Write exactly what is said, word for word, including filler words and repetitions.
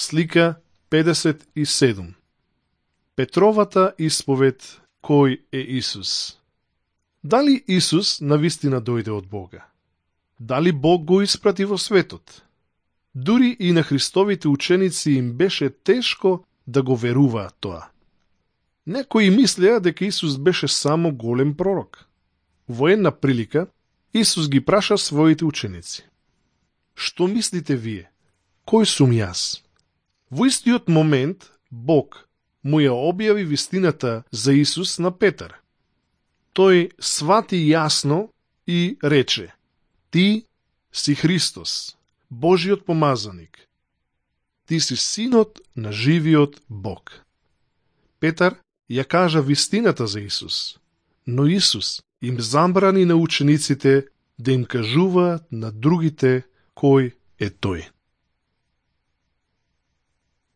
Слика педесет и седум. Петровата исповед кој е Исус. Дали Исус навистина дојде од Бога? Дали Бог го испрати во светот? Дури и на Христовите ученици им беше тешко да го веруваат тоа. Некои мислеа дека Исус беше само голем пророк. Во една прилика, Исус ги праша своите ученици: што мислите вие? Кој сум јас? Во истиот момент, Бог му ја објави вистината за Исус на Петар. Тој свати јасно и рече: ти си Христос, Божиот помазаник. Ти си синот на живиот Бог. Петар ја кажа вистината за Исус, но Исус им забрани на учениците да им кажуваат на другите кој е тој.